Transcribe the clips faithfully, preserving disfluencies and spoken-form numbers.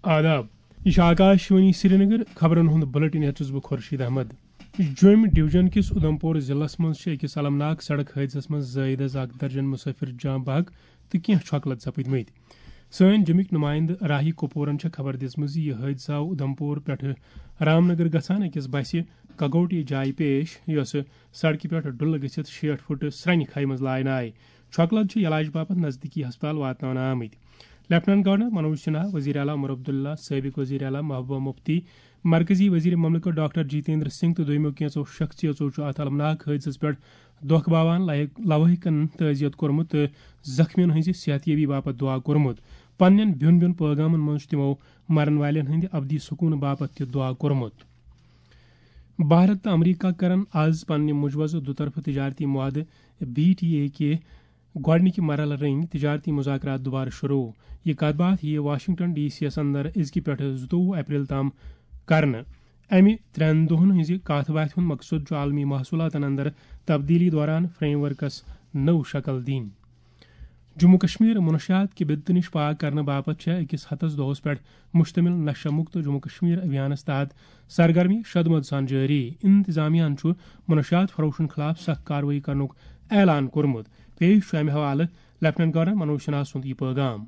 آداب۔ یہِ چھُ آکاش وانی سرینگر۔ خبرن ہُنٛد بُلٹن ہیٚتھ چھُس بہٕ خورشید احمد۔ جوٚمۍ ڈویژن کِس اُدھمپور ضلعس منٛز چھِ أکِس المناک سڑک حٲدثس منٛز زٲیدس اکھ درجن مسافر جاں بحق تہٕ کینٛہہ چھۄکلت سپٕدمٕتۍ۔ سٲنۍ جوٚمِکۍ نُمایندٕ راہی کپورن چھےٚ خبر دِژمٕژ زِ یہِ حٲدثہٕ آو اُدھمپور پٮ۪ٹھٕ رامنگر گژھان أکِس بسہِ کگوٹی جایہِ پیش، یۄسہٕ سڑکہِ پٮ۪ٹھ ڈُلہٕ گٔژھِتھ شیٹھ فُٹ سرٛنہِ کھایہِ منٛز لاینہٕ آیہِ۔ چھۄکلت چھِ علاج باپتھ نزدیٖکی ہسپتال واتناونہٕ آمٕتۍ۔ لیفٹیننٹ گورنر منوج سنہا، وزیر اعلیٰ عمر عبداللہ، سابق وزیر اعلیٰ محبوبہ مفتی، مرکزی وزیر مملکت ڈاکٹر جتیندر سنگھ تہٕ دوٚیمو کینٛژو شخصیژو چھُ اتھ المناک حٲدثس پٮ۪ٹھ دۄکھ باوان لایق لوٲحقن تعزیت کوٚرمُت تہٕ زخمیَن ہٕنٛزِ صحت یابی باپتھ دعا کوٚرمُت۔ پننٮ۪ن بیوٚن بیوٚن پٲغامن منٛز چھُ تِمو مرن والٮ۪ن ہٕنٛدِ ابدی سکوٗن باپتھ تہِ دعا کوٚرمُت۔ بھارت تہٕ امریکہ کرن آز پننہِ مجوزٕ دُطرفہٕ تجارتی معاہدٕ بی ٹی اے کہِ گۄڈٕنِکہِ مرحلہٕ رٔنگۍ تجارتی مذاکرات دوبارٕ شروع۔ یہِ کتھ باتھ یِیہِ واشنگٹن ڈی سی یَس اندر أزکہِ پٮ۪ٹھٕ زٕتووُہ اپریل تام کرنہٕ۔ امہِ ترٛٮ۪ن دۄہن ہٕنٛزِ کتھ باتھِ ہُنٛد مقصد چھُ عالمی محصولاتن اندر تبدیلی دوران فریم ورکس نٔو شکل دِنۍ۔ جموں کشمیر منشیات کہِ بدعت نِش پاک کرنہٕ باپتھ چھےٚ أکِس ہتس دۄہس پٮ۪ٹھ مشتمل نشہ مکت جموں کشمیر ابھیانس تحت سرگرمی شدمد سان جٲری۔ انتظامیہ ہن چھُ منشیات فروشن خلاف سخت کاروٲیی کرنُک اعلان کوٚرمُت۔ پیش چھُ امہِ حوالہٕ لیفٹیننٹ گورنر منوج سنہا سُنٛد یہِ پٲغام۔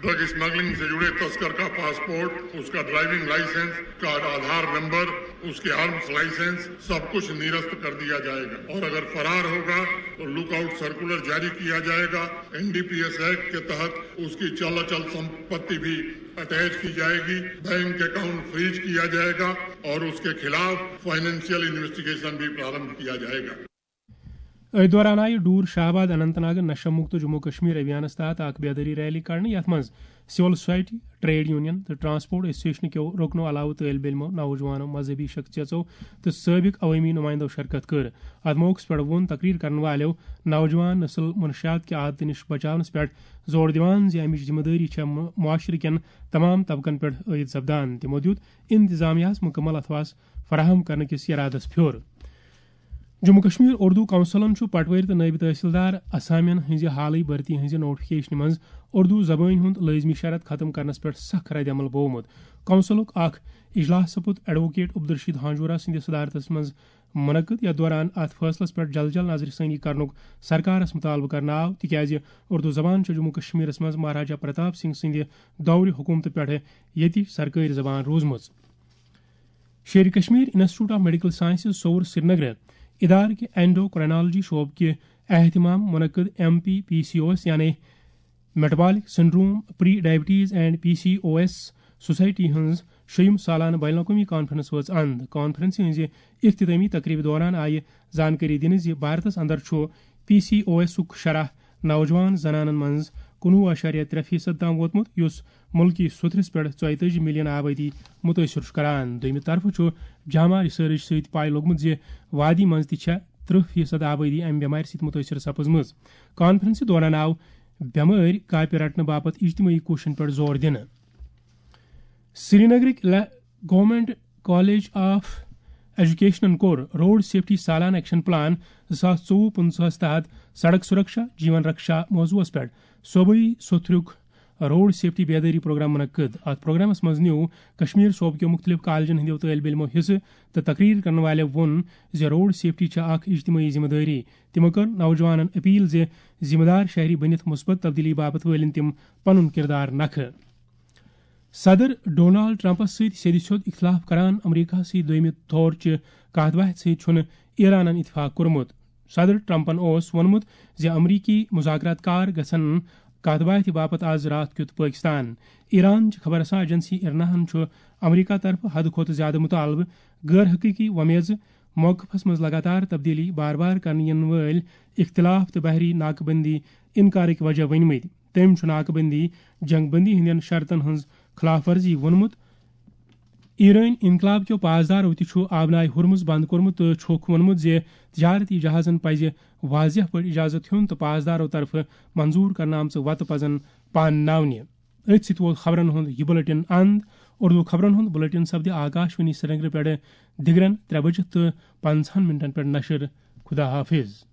ڈرگ اسمگلنگ سے جڑے تسکر کا پاسپورٹ، اس کا ڈرائیونگ لائسنس، اس کا آدھار نمبر، اس کے آرمز لائسنس، سب کچھ نرست کر دیا جائے گا اور اگر فرار ہوگا تو لک آؤٹ سرکولر جاری کیا جائے گا۔ N D P S act کے تحت اس کی چل اچل سمپتی بھی اٹیچ کی جائے گی۔ بینک اکاؤنٹ فریز کیا جائے گا اور اس کے خلاف فائنینشیل انویسٹیگیشن بھی پرارمبھ کیا جائے گا۔ أتھۍ دوران آیہِ ڈور شاہ آباد اننت ناگ نشہ مکت جموں کشمیر ابھیانس تحت اکھ بیدٲری ریلی کڑنہٕ، یتھ منٛز سول سوسائٹی، ٹریڈ یونین تہٕ ٹرانسپورٹ ایسوسیشن کیو رکنو علاوٕ طٲلب علمو، نوجوانو، مذہبی شخصیژو تہٕ سٲبق عوٲمی نمائندو شرکت کٔر۔ اتھ موقعس پٮ۪ٹھ ووٚن تقریر کرن والٮ۪و نوجوان نسل منشیات کہِ عادتہٕ نِش بچاونس پٮ۪ٹھ زور دِوان زِ امِچ ذمہٕ دٲری چھےٚ مُ-، معاشرٕ کٮ۪ن تمام طبقن پٮ۪ٹھ عٲید سپدان۔ تِمو دیُت انتظامیہ ہس مکمل اثاث فراہم کرنہٕ کِس ارادس پھیوٚر۔ جموں کشمیر اردو کونسلن چھُ پٹوٲرۍ تہٕ نٲیِب تحصیلدار اسامین ہٕنٛزِ حالٕے بھرتی ہٕنٛزِ نوٹیفکیشنہِ منٛز اردو زبٲنۍ ہُنٛد لٲزمی شرط ختم کرنس پٮ۪ٹھ سخ رد عمل بوومُت۔ کونسلُک اکھ اجلاس سپُد ایڈووکیٹ عبدالرشید ہانجورا سٕنٛدِ صدارتس منٛز منعقد، یتھ دوران اتھ فٲصلس پٮ۪ٹھ جلد جلد نظرِ ثٲنی کرنُک سرکارس مطالبہٕ کرنہٕ آو، تِکیازِ اردو زبان چھےٚ جموں کشمیرس منٛز مہاراجا پرتاپ سنگھ سٕنٛدِ دورِ حکومتہٕ پٮ۪ٹھٕ ییٚتِچ سرکٲرۍ زبان روٗزمٕژ۔ Sheri Kashmir institute of medical sciences Soura Srinagar ادارٕ کہِ اینڈوکرائنالوجی شعبہٕ کہِ اہتمام منعقد M P P C O S یعنی metabolic syndrome, pre diabetes and P C O S society ہٕنٛز شیٚیِم سالانہٕ بین الاقوٲمی کانفرنس وٲژ اند۔ کانفرنسہِ ہٕنٛزِ اختتٲمی تقریبہِ دوران آیہِ زانکٲری دِنہٕ زِ بھارتس اندر چھُ پی سی او ایسُک شرح نوجوان زنانن منٛز کُنوُہ اعشاریہ ترٛےٚ فیصد تام ووتمُت، یُس مُلکی سوٚتھرِس پٮ۪ٹھ ژۄیتٲجی ملین آبٲدی مُتٲثِر چھُ کران۔ دوٚیمہِ طرفہٕ چھُ جامع ریسرچ سۭتۍ پاے لوٚگمُت زِ وادی منٛز تہِ چھےٚ ترٕٛہ فیصد آبٲدی امہِ بٮ۪مارِ سۭتۍ مُتٲثِر سپٕزمٕژ۔ کانفرنسہِ دوران آو بٮ۪مٲرۍ کاپہِ رٹنہٕ باپتھ اجتمٲعی کوٗششن پٮ۪ٹھ زور دِنہٕ۔ سرینگرٕکۍ گورنمنٹ کالج آف ایجوکیشنن کوٚر روڈ سیفٹی سالانہٕ ایکشن پلان زٕ ساس ژوٚوُہ پٕنٛژٕہس تحت سڑک سرکشا جیون رکشا موضوعس پٮ۪ٹھ صوبٲئی سوٚتھرُک روڈ سیفٹی بیدٲری پروگرام منعقد۔ اتھ پروگرامس منٛز نیوٗ کشمیر صوبہٕ کیو مُختٔلِف کالجن ہٕنٛدیو طٲلب علمو حصہٕ تہٕ تقریر کرن والٮ۪و ووٚن زِ روڈ سیفٹی چھےٚ اکھ اجتمٲعی ذمہٕ دٲری۔ تِمو کٔر نوجوانن اپیل زِ ذمہٕ دار شہری بٔنِتھ مثبت تبدیلی باپتھ وٲلِن تِم پنُن کردار نکھٕ۔ صدر ڈونالڈ ٹرمپس سۭتۍ سیٚدِ سیوٚد اختلاف کران امریکہ سٕے دوٚیمہِ دورچہِ کتھ باتھِ سۭتۍ چھُنہٕ ایرانن اتفاق کوٚرمُت۔ صدر ٹرمپن اوس ووٚنمُت زِ امریکی مذاکرات کار گژھن کتھ باتھِ باپتھ آز راتھ کیُتھ پٲکستان۔ ایران چہِ خبر رساں ایجنسی ارناہن چھُ امریکہ طرفہٕ حدٕ کھۄتہٕ زیادٕ مطالبہٕ، غٲر حقیقی وۄمیزٕ، موقفس منٛز لگاتار تبدیلی، بار بار کرنہٕ ینہٕ وٲلۍ اختلاف تہٕ بحری ناکہ بندی انکارٕکۍ وجہ ؤنمٕتۍ۔ تٔمۍ چھُ ناکہ بندی، جنگ بندی ہٕنٛدٮ۪ن شرطن ہٕنٛز خلاف ورزی ووٚنمُت۔ ایرٲنۍ انقلاب کیو پاسدارو تہِ چھُ آبنائے ہرمز بند کوٚرمُت تہٕ چھُکھ ووٚنمُت زِ تجارتی جہازن پزِ واضح پٲٹھۍ اجازت ہیوٚن تہٕ پاسدارو طرفہٕ منظور کرنہٕ آمژٕ وتہٕ پزن پانناونہِ۔ أتھۍ سۭتۍ ووت خبرن ہُنٛد یہِ بُلٹن اند۔ اردو خبرن ہُنٛد بُلٹن سپدِ آکاش وانی سرینگرٕ پٮ۪ٹھٕ دِگرن ترٛےٚ بجہِ تہٕ پنٛژاہن منٹن پٮ۪ٹھ نشر۔ خدا حافظ۔